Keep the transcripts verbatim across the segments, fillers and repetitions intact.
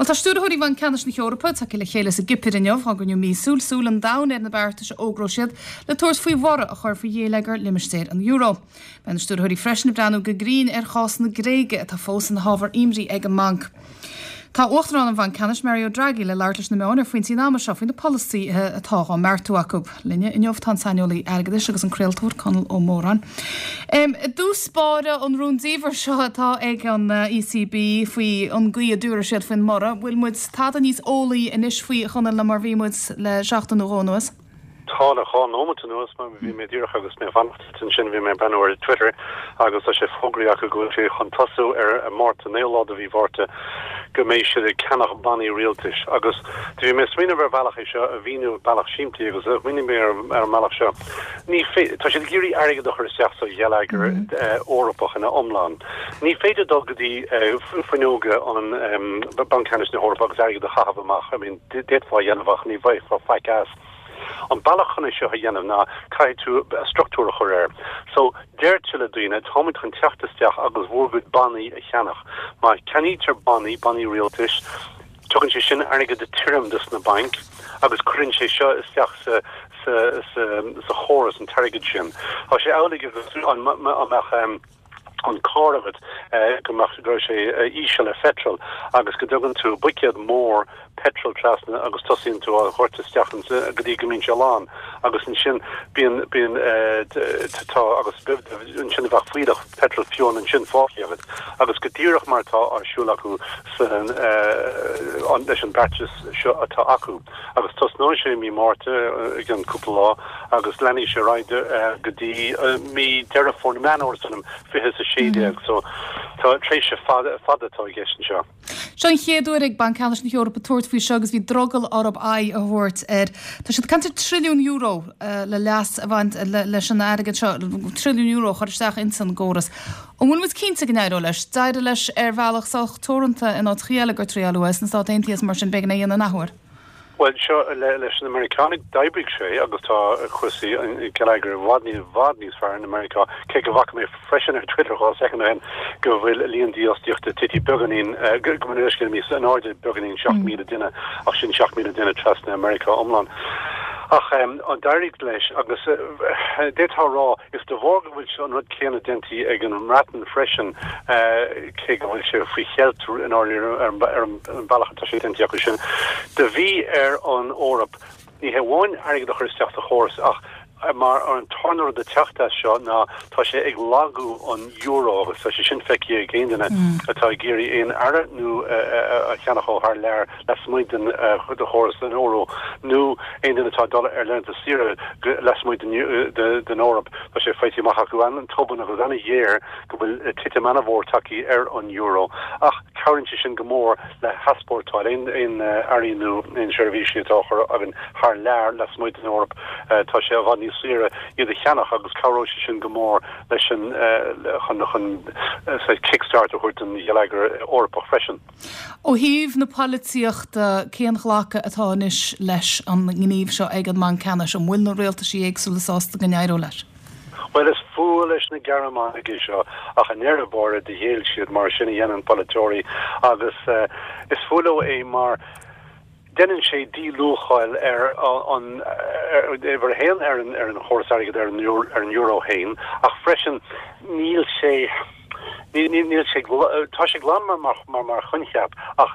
Well tá stiúrthóirí Bhanc Ceannais na hEorpa tagtha le chéile sa gCipir inniu á gcruinniú míosúil súil an domhain ar na beartais a fhógróidh siad le tabhairt faoi bhorradh a chur faoi gheilleagar limistéar an euro. Beidh na stiúrthóirí freisin ag breathnú go grinn ar chás na Gréige atá fós ina hábhar imní ag an mbanc. Tá Uachtarán an Bhainc Ceannais Mario Draghi le labhairt leis na meáin ar phointí an ama seo faoi na polasaithe atá á mbeartú acu. Linne inniu tá an saineolaí airgeadais agus an craoltóir Conall Ó Móráin. Um, dtús báire an rúndiamhair seo atá ag an ECB faoi an gcaoi a dtabharfaidh siad faoin mborradh, bhfuil muid tada níos eolaí anois faoi Chonall ná mar bhí muid le seachtain nó dhó anuas. Tá le dhá nóiméad anuas mar bhí mé díreach agus mé fanacht ansin bhí mé breathnú ar Twitter agus tá sé fógraithe acu go bhfuil sé chun tosú ar Márta naoú lá de mhí Mhárta go mbeidh siad ag ceannach bannaí rialtais agus bhí mé smaoineamh ar bhealach é seo a mhíniú bealach simplí agus mhínigh mé ar ar an mbealach seo. Ní tá siad ag iarraidh airgead a chur isteach sa gheilleagar mm -hmm. Eorpach ina iomlán. Ní féidir dul go dtí fuinneoga an Banc Ceannais na hEorpa agus airgead a chaitheamh amach, I mean d'fhéadfá a dhéanamh ach ní bhfaighfeá faic as. An bealach chun é seo a dhéanamh ná caithfidh tú struchtúr a chur air. So deirtear le daoine táimid chun teacht isteach agus bhur gcuid bannaí a cheannach. Má cheannaítear bannaí bannaí rialtais, tugann sé sin airgead tirim dos na bainc agus cuireann sé seo isteach sa sa sa sa chóras an t-airgead sin. Tá sé amhlaidh agus an mbeadh um, an carr agat go mbeadh go raibh sé íseal le petrol agus go dtugann tú buicéad mór petrol trasna agus tosaíonn tú á dhoirteadh isteach go dtí go mbíonn sé lán agus ansin bíonn bíonn tá agus ansin bheadh fuílleach petrol fiúin ansin fágtha agat agus go díreach mar atá ar siúl acu san leis an beartas seo atá acu agus tosnóidh sé mí Márta ag an cúpla lá agus leanfaidh sé ar aghaidh go dtí mí Deireadh Fómhair Meán Fómhair fiche a sé déag so tá tréimhse fada fada atá i gceist anseo. Seo an chéad uair ag Banc Ceannais na hEorpa tabhairt faoi seo agus bhí drogall orthu aghaidh a thabhairt air. Tá siad ag caint ar trilliún euro uh, le leas a bhaint le, leis an airgead seo trilliún euro chur isteach ins an gcóras. An bhfuil muid cinnte go n-éireoidh leis, d'éirigh leis ar bhealach sách teoranta in áit eile gur triaileadh sna Stáit Aontaithe mar sin b'fhéidir é an athuair. Well seo le, leis na Meiriceánaigh d'oibrigh sé agus tá cúrsaí geilleagair i bhfad ní bhfad níos fearr in America cé go bhfaca mé freisin ar Twitter dhá soicind ó shin go bhfuil líon dífhostaíochta tite beagáinín go go níos in airde beagáinín seacht míle duine ach sin seacht míle duine trasna America iomlán. Ach um, an d'éirigh leis agus uh, d'fhéadfá rá is de bharr go bhfuil an rud céanna déanta ag an mBreatain freisin uh, cé go bhfuil sé faoi cheilt in ar ar an bealach atá sé déanta acu sin. De bhí ar an Eoraip ní hamháin airgead a chur isteach sa chóras ach mar an tarna de teachta seo ná tá sé ag lagú an euro agus tá sé sin feicthe ag aon duine atá ag iarraidh aon earra nó a cheannach ó thar lear lasmuigh den de chóras den euro nó aon duine atá dul ar laethanta saoire lasmuigh den Eoraip tá sé faighte amach acu an-tobann agus an-ghéar go bhfuil titim an-mhór tagtha ar an euro ach cabhraíonn sé sin go mór le heaspórtáil aon aon earraí nó aon seirbhísí atá chur againn thar lear lasmuigh den Eoraip tá sé i bhfad níos saoire iad a cheannach agus cabhróidh sé sin go mór leis an chun chun kickstart a thabhairt don gheilleagar Eorpach freisin. Ó thaobh na polaitíochta cén ghlacadh atá anois leis an ngníomh seo ag an mBanc Ceannais an bhfuil na rialtaisí éagsúla sásta go n-éireoidh leis. Well is fuath leis na Gearmánaigh seo ach an ndeireadh báire do ghéill siad mar sin a dhéanann polaiteoirí agus uh, is fuath leo é mar déanann sé díluacháil ar an ar haon ar an ar an chóras airgead ar an ar an euro féin ach freisin níl sé níl sé tá sé glan mar mar mar mar choincheap ach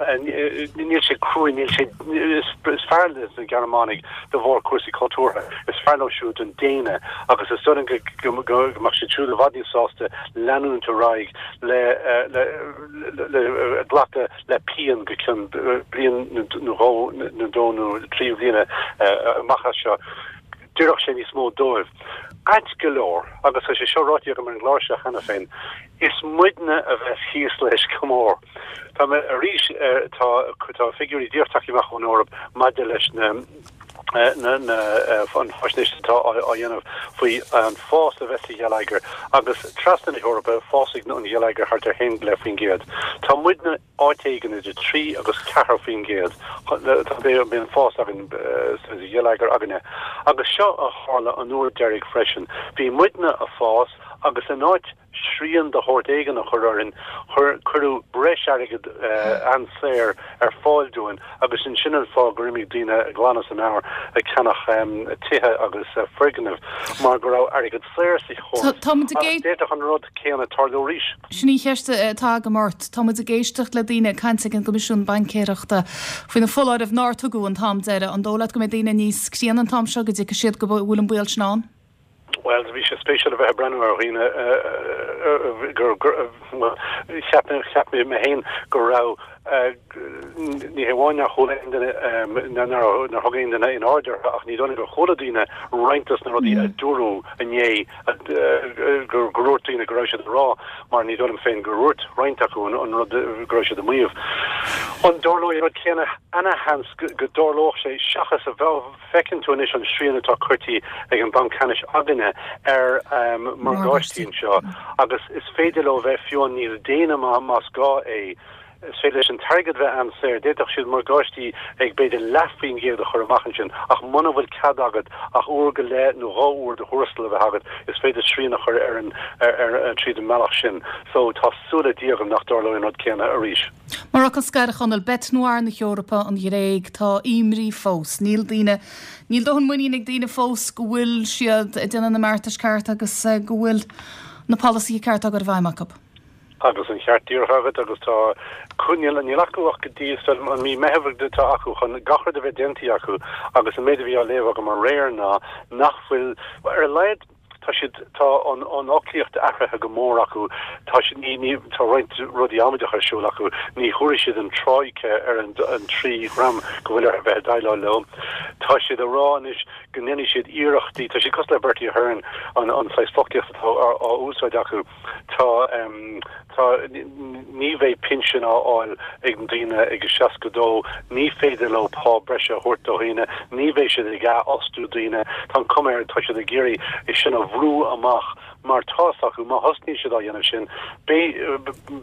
níl sé cruinn níl sé is fearr leis na Gearmánaigh de bharr cúrsaí cultúrtha is fearr leo siúd an déine agus is dóigh go go mbeadh siad siúd i bhfad níos sásta leanúint ar aghaidh le le le glacadh le pian go ceann bliain nó dhó nó dó nó trí bliana amach as seo. D'oirfeadh sé níos mó dóibh. Ait go leor agus tá sé seo ráite agam ar an gclár seo cheana féin, is muidne a bheas thíos leis go mór. Tá mé arís tá tá figiúirí díreach tagtha amach ón Eoraip maidir leis na na na an faisnéis atá á dhéanamh faoi an fás a bheas sa gheilleagar agus trasna na hEorpa fásfaidh an geilleagar thart ar haon go leith faoin gcéad. Tá muidne áit éigin idir trí agus ceathair faoin gcéad bíonn fás againn sa gheilleagar againne. Agus seo a tharla an uair deiridh freisin. Bhí muidne ag fás Agus in áit srian de shórt éigin a chur orainn, cuireadh breis airgid an-saor ar fáil dúinn agus sin sin an fáth gur imigh daoine glan as a meabhair ag ceannach tithe agus foirgnimh mar go raibh airgead saor sa chóras. Agus d'fhéadfadh an rud céanna tarlú arís. Sin í an cheist atá agam ort. Tá muid ag éisteacht le daoine ag caint ag an gCoimisiún Baincéireachta faoi na foláirimh nár tugadh an t-am deiridh. An dóigh leat go mbeidh daoine níos críonna an t-am seo go dtuigfidh siad go bhfuil an baol sin ann? Bhuel, bhí sé spéisiúil a bheith ag breathnú ar dhaoine gur, bhuel, cheap mé, cheap mé mé féin go raibh, ní hé amháin nár chuala aon duine, nár thug aon duine aon aird orthu ach ní dóigh liom gur chuala daoine roinnt dos na rudaí a dúradh inné, gur dhúirt daoine go raibh siad a rá, mar ní dóigh liom féin gur dhúirt roinnt acu an rud go raibh siad a maíomh. An dtarlóidh an rud céanna? Ana-sheans go dtarlódh sé seachas a bheith. Feiceann tú anois an srian atá curtha ag an Bhanc Ceannais againne ar morgáistí anseo agus is féidir leo bheith fiú níos déine más gá é. Is féidir leis an t-airgead bheith an-saor, d'fhéadfadh siad morgáistí ag b'fhéidir leath faoin gcéad a chur amach ansin ach muna bhfuil cead agat ach uair go leith nó dhá uair do thuarastal a bheith agat, is féidir srian a chur ar an ar tríd an mbealach sin. So tá súil le Dia agam nach dtarlóidh an rud céanna arís. Mar fhocal scoir, a Chonaill, bête noire na hEorpa, an Ghréig, tá imní fós. Níl daoine, níl dóthain muinín ag daoine fós go bhfuil siad ag déanamh na mbeartais ceart agus go bhfuil na polasaithe ceart á gcur i bhfeidhm acu. Agus an ceart díreach agat agus tá, níl, níl acu ach go dtí an mí Meitheamh atá acu chun gach rud a bheith déanta acu agus an méid a bhí á léamh agam aréir ná nach bhfuil, ar a laghad, Tá siad, tá an an fhoclaíocht athraithe go mór acu, tá siad, ní, ní, tá roinnt rudaí amaideacha ar siúl acu, ní thabharfaidh siad an troika ar an an trí dhream go bhfuil orthu bheith ag déileáil leo. Tá siad ag rá anois go ndéanfaidh siad iarrachtaí, tá siad cosúil le Bertie Ahern, an an saghas foclaíocht atá á á úsáid acu, tá em tá, ní bheidh pinsean á fháil ag daoine ag seasca dó, ní féidir leo pá breise a thabhairt do dhaoine, ní bheidh siad ag athfhostú daoine, tá an cuma air, tá siad ag iarraidh é sin a bhrú amach mar tá's acu, má thosnaíonn siad á dhéanamh sin, beidh,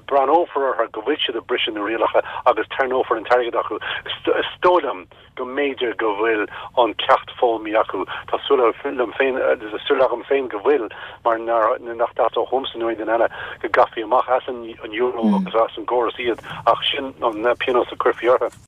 breathnófar orthu go bhfuil siad ag briseadh na rialacha agus tarraingeofar an t-airgead acu. Is dóigh liom go mb'fhéidir go bhfuil an ceacht foghlamtha acu. Tá súil liom féin, tá súil agam féin go bhfuil, mar nach dteastódh uaimse nó aon duine eile go gcaithfí amach as an euro agus as an gcóras iad, ach sin an pionós a chuirfí orthu.